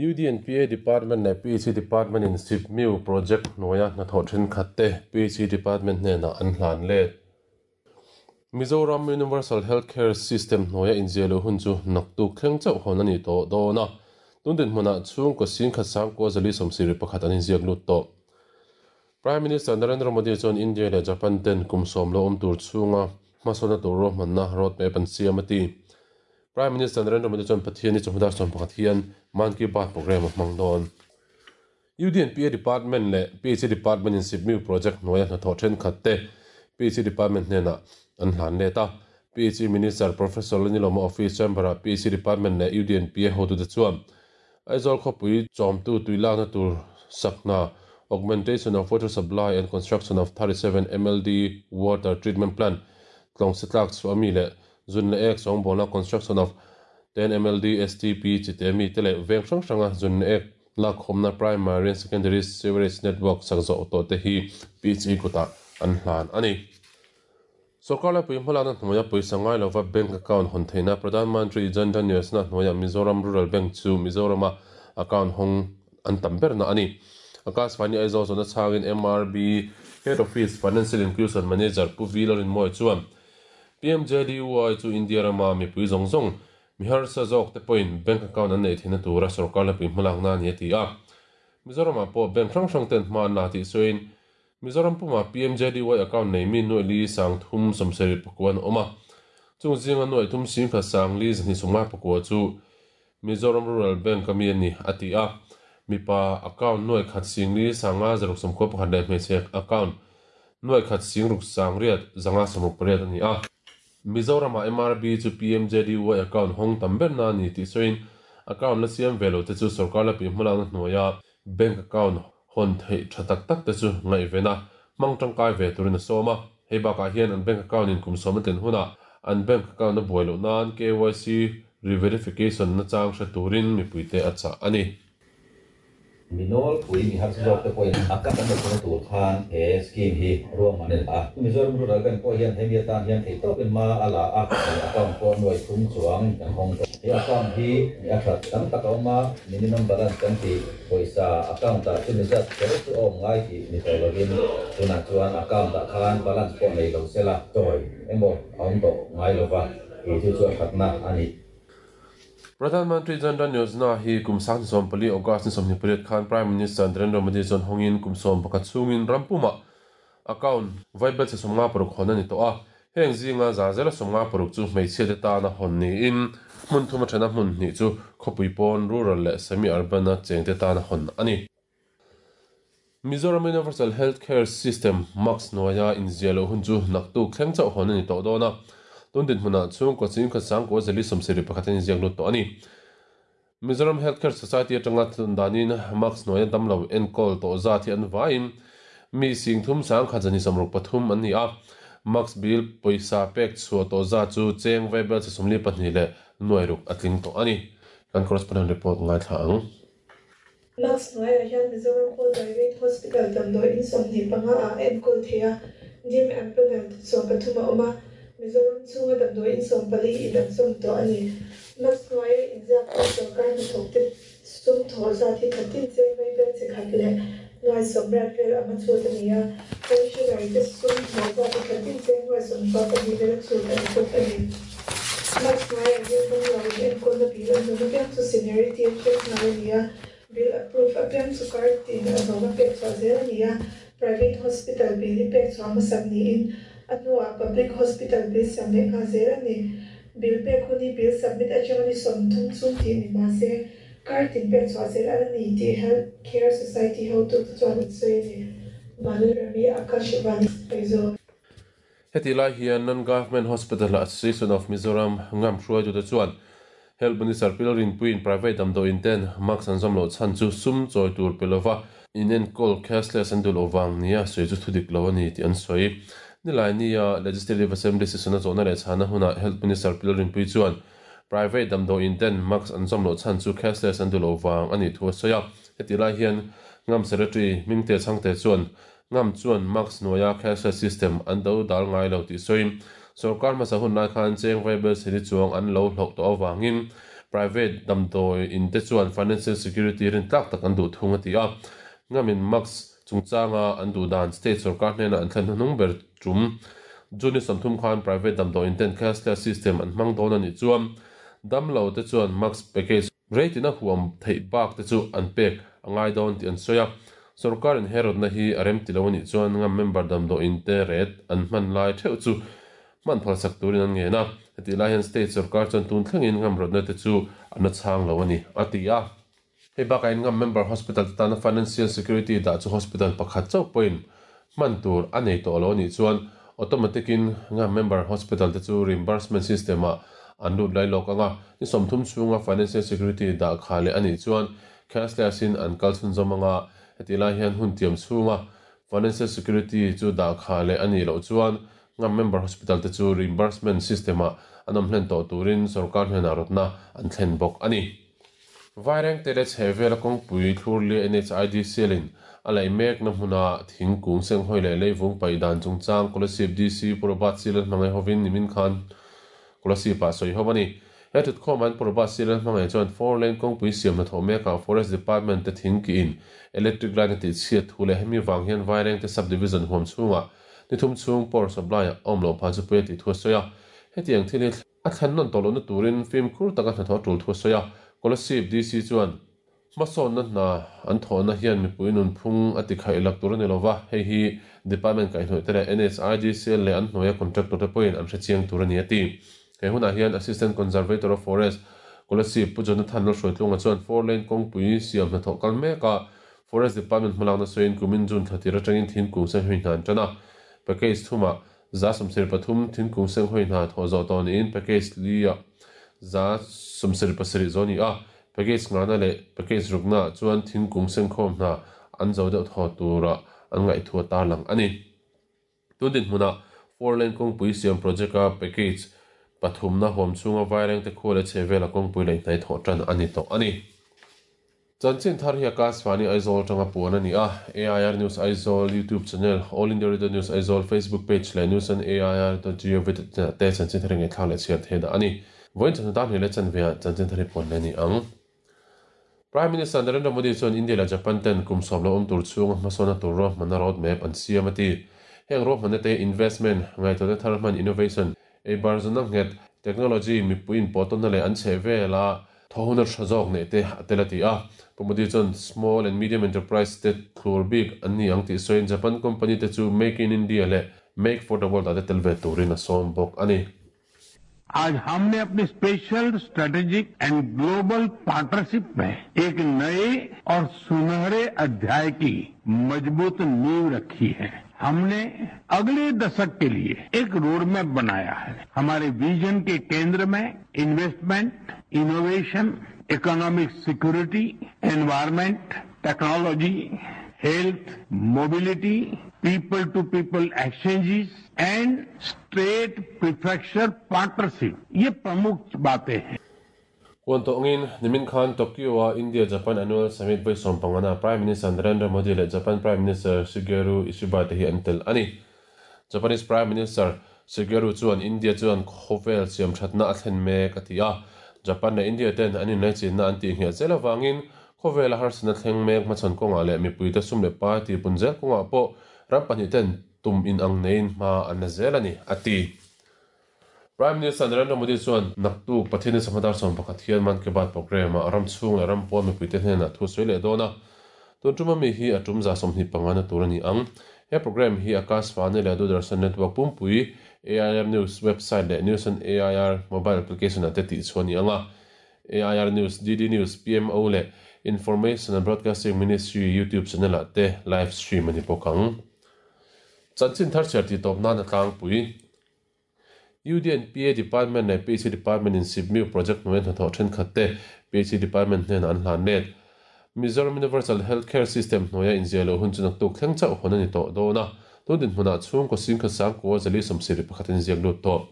UDNPA Department leh PHE Department in SIPMIU Project hnuaia hnathawh thenkhat te PHE Department hnenah an hlan let. Mizoram Universal Health Care System hnuaia inziah luh hun chu naktuk thleng chauh hawn a ni tawh dawn a, tun dinhmunah chhungkaw singkhat sangkua zali sawmsirih pakhat an inziak lut tawh. Prime Minister Narendra Modi chuan India leh Japan ten kum sawm lo awm tur chhunga hmasawnna tur ruahmanna roadmap an siam a ti. Prime Minister Narendra Modi chuan Pathianni chawhma dar 11 hian Mann Ki Baat programme a hmang dawn. UDNPA Department leh PHE Department in SIPMIU project hnuaia hnathawh thenkhat te PHE Department hnenah an hlan let a. PHE Minister Professor Lalnilawma Office Chamber-ah PHE Department leh UDNPA hotute chuan Aizawl khawpui chawmtu tui lakna tur sakhna, Augmentation of Water Supply and Construction of 37 MLD Water Treatment Plant, tlawng se tlak chhuah ami leh zun leh ek sawngbawlna Construction of 10 MLD STP chite mi te leh veng hrang hranga zun leh ek lakkhawmna Primary and Secondary Sewerage Network sak zawh tawh te hi PHE kutah an hlan a ni. Sorkar laipui hmalakna hnuaia pawisa ngai lova bank account hawn theihna Pradhan Mantri Jan Dhan Yojana hnuaia Mizoram Rural Bank chu Mizorama account hawng an tam berna a ni. Akashvani Aizawl zawhna chhangin MRB Head Office Financial Inclusion Manager Pu V Lalrinmawia chuan PMJDY chu India rama mipui zawng zawng mi harsa zawk te pawhin bank account an neih theihna tura sorkar laipui hmalakna a ni a ti a. Mizoramah pawh bank hrang hrang ten hma an la tih sawiin Mizoram pumah PMJDY account nei mi nuaih li sang thum sawmsarih pakua an awm a, chung zinga nuaih thum singkhat sang li zahnih sawmngai pakua chu Mizoram Rural Bank a mi a ni, a ti a. Mipa account nuaih khat sing li sanga zaruk sawmkhua pakhat leh hmeichhe account nuaih khat sing ruk sang riat zanga sawmruk pariat a ni a. Mizoramah MRB chu PMJDY account hawng tam berna a ni tih sawiin account la siam ve lo te chu sorkar la pihmalakna hnuaia Bank account hawn theih tha tak tak te chu ngaihven a, hmang tangkai ve turin a sawm a. Hei bakah hian an bank account in kum sawm a tlin hunah an bank account a buai loh nan KYC re-verification nachang hre turin mipuite a chah a ni. Mi nawlpui mi harsa zawk te pawhin a cut an lo thawhna tur khan he scheme hi ruahman a ni a. Mizoram Rural Bank pawh hian hemi atan hian theihtawpin hma a la a, account pawh nuai thum chuang kan hawng tawh. He account hi mi a that tam tak a awm a. Minimum balance kan tih pawisa account ah chumi zat kher chu a awm ngai tih ni tawh lovin tunah chuan account ah khan balance pawh nei lo sela chawi emaw a awm tawh ngai lova tih chu chu a thatna a ni. Pradhan Mantri Jan Dhan Yojana hi kum 2014 August ni 28 khan Prime Minister Narendra Modi chuan hawngin kum 11 chhungin ram pumah Account vaibel chhe 56 hawn a ni tawh a, heng zinga za zela 56 chu hmeichhia te tana hawn niin hmun thum a thena hmun hnih chu khawpui pawn, rural leh semi-urban a cheng te tana hawn a ni. Mizoram Universal Health Care System, MAHCS, hnuaia inziah loh hun chu naktuk thleng chauh hawn a ni tawh dawn a, tun dinhmunah chhungkaw chingkhat sangkua zali 71 an inziak lut tawh a ni. Mizoram Health Care Society atanga tlun danin mask hnuaia damlo enkawl tawh zat hi an vaiin mi sing thum sangkhat zani 63 an ni a, mask bill pawisa pek chhuah tawh zat chu cheng vaibel chi 42 leh nuai ruk a tling tawh a ni. Kan correspondent report ngaithla ang. Mask hnuaiah hian Mizoram Pawl Private Hospital damdawi in 25 ah a enkawl thei a, dim empanelled 13 a awm a, Mizoram chhunga damdawi in 14 in an zawm tawh a ni. Mask hnuaia inziak hi sorkar hnathawkte sum thawh zat hi khatin cheng vaibel chi khat leh nuai sawmriat vel anga chhut a ni a, pensioner te sum thawh zat hi khatin cheng nuai sawmkua pahnih vela chhut a ni bawk a ni. Mask hnuaiah hian damlo in enkawlna bill an dawn apiang chu seniority a check nghal a ni a, bill approve apiang chu card tin a zawm a pek chhuah zel a ni a, private hospital bill hi pek chhuah hmasak niin a hnuah public hospital bill siam leh nghal zel a ni. Bill pek hun hi bill submit atanga ni 30 chhung tih ni mah se, card tin pek chhuah zel a la ni tih Health Care Society hotute chuan an sawi a ni. Vanlalrami Akashvani Aizawl. Hetih lai hian Non-Government Hospital Association of Mizoram ngam hruaitute chuan Health Minister Pi Lalrinpuiin private damdawiin ten mask an zawm loh chhan chu sum chawi tur pe lova inenkawl cashless an duh loh vang nia sawi chu thudik lo a ni tih an sawi. Nilai nia Legislative Assembly session a zawhna leh chhana hunah Health Minister Pi Lalrinpui chuan private damdawiin ten mask an zawm loh chhan chu cashless an duh loh vang a nih thu a sawi a. Hetih lai hian ngam Secretary Hmingte Chhangte chuan Ngam chuan mask hnuaia cashless system an do dal ngai lo tih sawiin, sorkar hmasa hun lai khan cheng vaibel seri chuang an lo hloh tawh avangin Private damdawi in te chuan financial security rintlak tak an duh thung a ti a. Ngamin Max chungchanga an duh dan state sorkar hnena an thlen hnuhnung ber tum June ni 30 khan private damdawi in ten cashless system an hmang dawn a nih chuan damlo te chuan Max package rate in a huam theih bak te chu an pek a ngai dawn tih an sawi a. Sorkarin he rawtna hi a rem ti lo a nih chuan ngam member damdawi in te rate an hman lai theuh chu hman phalsak turin an ngen a. Hetih lai hian state sorkar chuan tun thlengin ngam rawtna te chu an la chhang lo a ni, a ti a. Hei bakah in ngam member hospital te tana financial security dah chu hospital pakhat chauh pawhin hman tur a nei tawh lo a nih chuan automatic in ngam member hospital te chu reimbursement system ah an lut lai lawk ang a, ni 30 chhunga financial security dah kha leh a nih chuan cashless in an kal chhunzawm ang a, hetih lai hian hun tiam chhunga financial security chu dah kha leh a nih loh chuan ngam member hospital te chu reimbursement system ah an awm hlen tawh turin sorkar hnenah rawtna an thlen bawk a ni. Vairengte leh chhehvela kawngpui thlurlia NHIDCL in a laih mekna hmuna thingkung senghawi leh leivung paih dan chungchang Kolasib DC Pu Robert Silan hmangaih hovin nimin khan Kolasib ah sawi ho a ni. He thutkhawmah hian Pu Robert Silan hmangaih chuan four lane kawngpui siam hnathawh mekah Forest Department te thingkiin electric line a tihchhiat thu leh hemi vang hian Vairengte Sub-Division huam chhungah ni thum chhung power supply a awm loh phah chu pawi a tih thu a sawi a. Hetiang thil hi A thlen nawn tawh lohna turin fimkhur taka hnathawh a tul thu a sawi a. Kolasib DC chuan hmasawnna hna an thawhna hian mipui nunphung a ti khaih lak tur a ni lova, hei hi Department kaihhnawih te leh NHIDCL leh an hnuaia contractor te pawhin an hrechiang tur a ni a ti. He hunah hian Assistant Conservator of Forest, Kolasib Pu Jonathan Lalhruaitlunga chuan four lane kawngpui siam hnathawh kal mek a, Forest Department hmalakna sawiin kumin June thla tir atangin thingkung senghawi hna an tan a, package thumah 133 thingkung senghawi hna thawh zawh tawh niin package li ah 177 zawh a ni a, package ngahna leh package rukna ah chuan thingkung sengkhawm hna an zo deuh thaw tura an ngaihthua tarlang a ni. Tun dinhmunah four lane kawngpui siam project a package pathumna huam chhunga vairengte khua leh chhehvela kawngpui leh inhnaih thawh tan a ni tawh a ni. Chanchin thar hi Akashvani Aizawl atanga puan a ni a, AIR News Aizawl YouTube channel, All India Radio News Aizawl Facebook page leh News on AIR dot gov dot in ah te chanchin thar hi ngaihthlak leh chhiar theih dah a ni. Vawiin chawhnu tan hnih leh chanve ah chanchin thar hi puan leh a ni ang. Prime Minister Narendra Modi chuan India leh Japan ten kum 10 lo awm tur chhunga hmasawnna tur ruahmanna road map an siam a ti. Heng ruahmanna te investment, ngaihtuahna thar hman innovation, eibar zuna nghet, technology, mipui inpawhtawnna leh an chheh vela Thawhuna tha zawk neih te a tel a ti a. Pu Modi chuan Small and Medium Enterprise te thlur bik an ni ang tih sawiin Japan company te chu Make in India leh Make for the World ah te tel ve turin a sawm bawk a ni. Aaj humne apni special strategic and global partnership mein ek naye aur sunehre adhyay ki majboot neev rakhi hai. Humne agle dashak ke liye ek roadmap banaya hai. Hamare vision ke kendra mein investment, innovation, economic security, environment, technology, health, mobility, people to people exchanges and state prefecture partnership, ye pramukh baatein hain. Kuan tawngin nimin khan Tokyo-a India-Japan Annual Summit vawi 15na Prime Minister Narendra Modi leh Japan Prime Minister Shigeru Ishiba te hi an tel a ni. Japanese Prime Minister Shigeru chuan India chuan khawvel siamthatna a thlen mek a ti a, Japan leh India ten an inlaichinna an tih nghet zel avangin khawvela harsatna thleng mek hmachhawn kawngah leh mipuite sum leh pai tihpun zel kawngah pawh ram pahnih ten tum inang neiin hma an la zel a ni, a ti. Prime Minister Narendra Modi chuan naktuk Pathian-i Sanghatar 11 hian Mann Ki Baat programme ah ram chhung leh ram pawn mipuite hnenah thu sawi leh dawn a. Tun tum ami hi a tum 25 na tur a ni ang. He programme hi Akashvani leh Doordarshan Network pumpui, AIR News website leh News on AIR mobile application ah te tih chhuah a ni ang a. AIR News, DD News, PMO leh Information and Broadcasting Ministry YouTube channel ah te live stream a ni bawk ang. Chanchin thar chhiar tih tawp nan a tlangpui. UDNPA Department leh PHE Department in Sipmiu Project hnuaia hnathawh thenkhat te PHE Department hnenah an hlan let. Mizoram Universal Health Care System hnuaia inziah loh hun chu naktuk thleng chauh hawn a ni tawh dawn a, tun dinhmunah chhungkaw singkhat sangkua zali 71 an inziak lut tawh.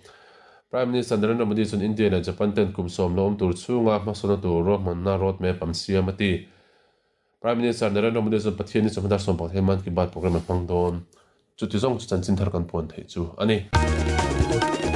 Prime Minister Narendra Modi chuan India leh Japan ten kum 10 lo awm tur chhunga hmasawnna tur ruahmanna roadmap an siam a ti. Prime Minister Narendra Modi chuan Pathian ni chawhma dar 11 hian Mann Ki Baat programme a hmang dawn. Chuti zawng chu chanchin thar kan puan theih chu a ni.